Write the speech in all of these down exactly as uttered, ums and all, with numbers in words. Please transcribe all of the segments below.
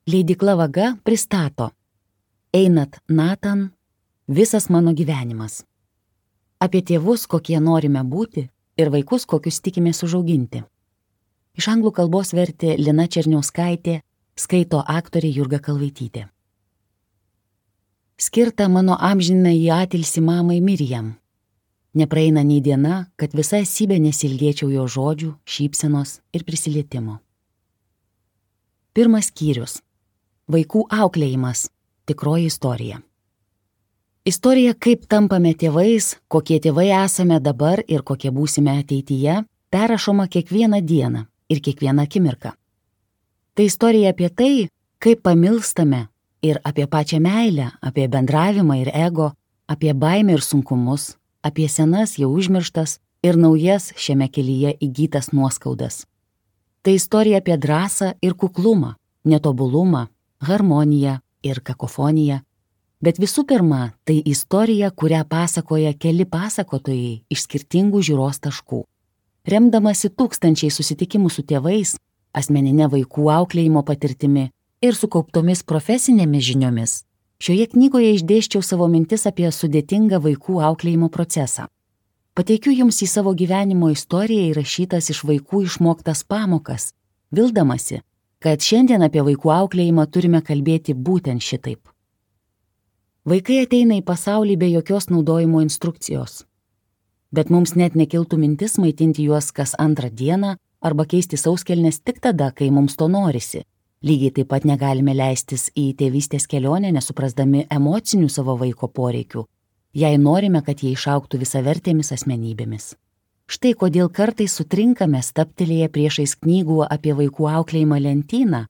Leidykla Vaga pristato Einat Nathan, visas mano gyvenimas. Apie tėvus, kokie norime būti, ir vaikus, kokius tikimės užauginti. Iš anglų kalbos vertė Lina Černiauskaitė, skaito aktorė Jurga Kalvaitytė. Skirta mano amžinai į atilsį mamai Miriam. Nepraeina nei diena, kad visa esybė nesilgėčiau jo žodžių, šypsenos ir prisilietimo. Pirmas skyrius. Vaikų auklėjimas. Tikroji istorija. Istorija, kaip tampame tėvais, kokie tėvai esame dabar ir kokie būsime ateityje, perrašoma kiekvieną dieną ir kiekvieną akimirką. Tai istorija apie tai, kaip pamilstame ir apie pačią meilę, apie bendravimą ir ego, apie baimę ir sunkumus, apie senas jau užmirštas ir naujas šiame kelyje įgytas nuoskaudas. Tai istorija apie drąsą ir kuklumą, netobulumą, harmoniją ir kakofoniją. Bet visų pirma, tai istorija, kurią pasakoja keli pasakotojai iš skirtingų žiūros taškų. Remdamasi tūkstančiai susitikimų su tėvais, asmeninė vaikų auklėjimo patirtimi ir sukauptomis profesinėmis žiniomis, šioje knygoje išdėsčiau savo mintis apie sudėtingą vaikų auklėjimo procesą. Pateikiu jums į savo gyvenimo istoriją įrašytas iš vaikų išmoktas pamokas, vildamasi, kad šiandien apie vaikų auklėjimą turime kalbėti būtent šitaip. Vaikai ateina į pasaulį be jokios naudojimo instrukcijos. Bet mums net nekiltų mintis maitinti juos kas antrą dieną arba keisti sauskelnes tik tada, kai mums to norisi. Lygiai taip pat negalime leistis į tėvystės kelionę, nesuprasdami emocinių savo vaiko poreikių, jei norime, kad jie išaugtų visavertėmis asmenybėmis. Štai kodėl kartais sutrinkame staptelėję priešais knygų apie vaikų auklėjimą lentyną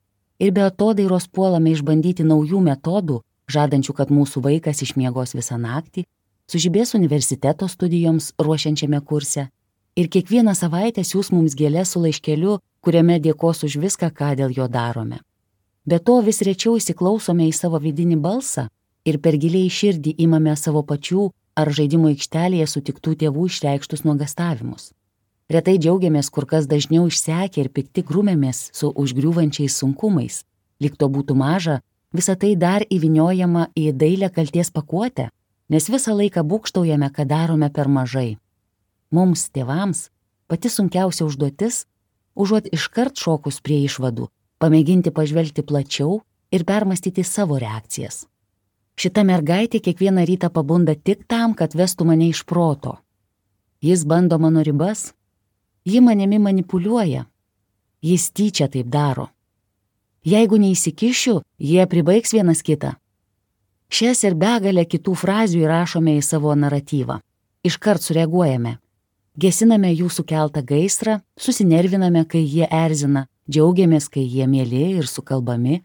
ir be atodairos puolame išbandyti naujų metodų, žadančių, kad mūsų vaikas išmiegos visą naktį, sužibės universiteto studijoms ruošiančiame kurse ir kiekvieną savaitę siūs mums gėles su laiškeliu, kuriame dėkos už viską, ką dėl jo darome. Be to vis rečiau įsiklausome į savo vidinį balsą ir per giliai širdį imame savo pačių ar žaidimo aikštelėje sutiktų tėvų išreikštus nuogastavimus. Retai džiaugiamės, kur kas dažniau išsekę ir pikti grūmėmės su užgriūvančiais sunkumais. Lyg to būtų maža, visa tai dar įvyniojama į dailią kalties pakuotę, nes visą laiką būgštaujame, kad darome per mažai. Mums, tėvams, pati sunkiausia užduotis, užuot iškart šokus prie išvadų, pamėginti pažvelgti plačiau ir permastyti savo reakcijas. Šita mergaitė kiekvieną rytą pabunda tik tam, kad vestų mane iš proto. Jis bando mano ribas, ji manimi manipuliuoja, jis tyčia taip daro. Jeigu neįsikišiu, jie pribaigs vienas kitą. Šias ir begalę kitų frazių įrašome į savo naratyvą. Iškart sureaguojame. Gesiname jų sukeltą gaisrą, susinerviname, kai jie erzina, džiaugiamės, kai jie mieli ir sukalbami.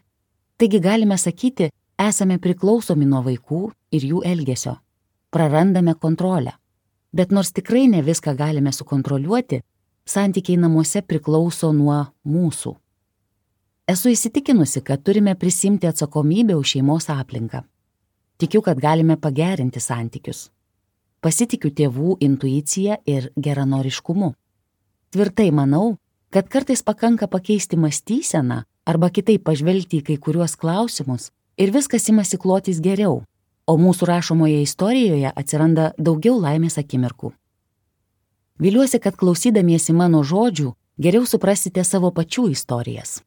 Taigi galime sakyti, esame priklausomi nuo vaikų ir jų elgesio. Prarandame kontrolę. Bet nors tikrai ne viską galime sukontroliuoti, santykiai namuose priklauso nuo mūsų. Esu įsitikinusi, kad turime prisimti atsakomybę už šeimos aplinką. Tikiu, kad galime pagerinti santykius. Pasitikiu tėvų intuicija ir geranoriškumu. Tvirtai manau, kad kartais pakanka pakeisti mąstyseną arba kitaip pažvelgti į kai kuriuos klausimus, ir viskas imasi klotis geriau, o mūsų rašomoje istorijoje atsiranda daugiau laimės akimirkų. Viliuosi, kad klausydamiesi mano žodžių, geriau suprasite savo pačių istorijas.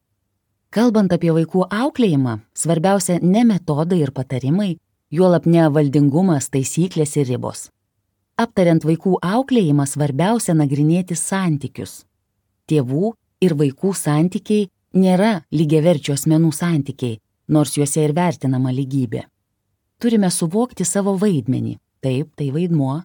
Kalbant apie vaikų auklėjimą, svarbiausia ne metodai ir patarimai, juolab ne valdingumas, taisyklės ir ribos. Aptariant vaikų auklėjimą, svarbiausia nagrinėti santykius. Tėvų ir vaikų santykiai nėra lygiaverčių asmenų santykiai, nors juose ir vertinama lygybė. Turime suvokti savo vaidmenį, taip, tai vaidmuo,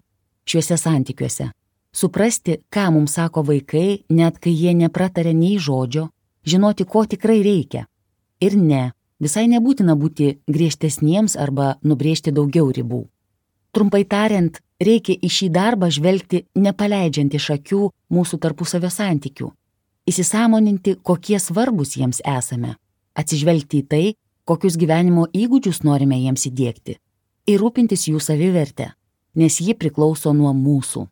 šiuose santykiuose. Suprasti, ką mums sako vaikai, net kai jie neprataria nei žodžio, žinoti, ko tikrai reikia. Ir ne, visai nebūtina būti griežtesniems arba nubrėžti daugiau ribų. Trumpai tariant, reikia į šį darbą žvelgti nepaleidžiant iš akių mūsų tarpusavio santykių, įsisąmoninti, kokie svarbus jiems esame, atsižvelgti į tai, kokius gyvenimo įgūdžius norime jiems įdiegti, ir rūpintis jų savivertę, nes ji priklauso nuo mūsų.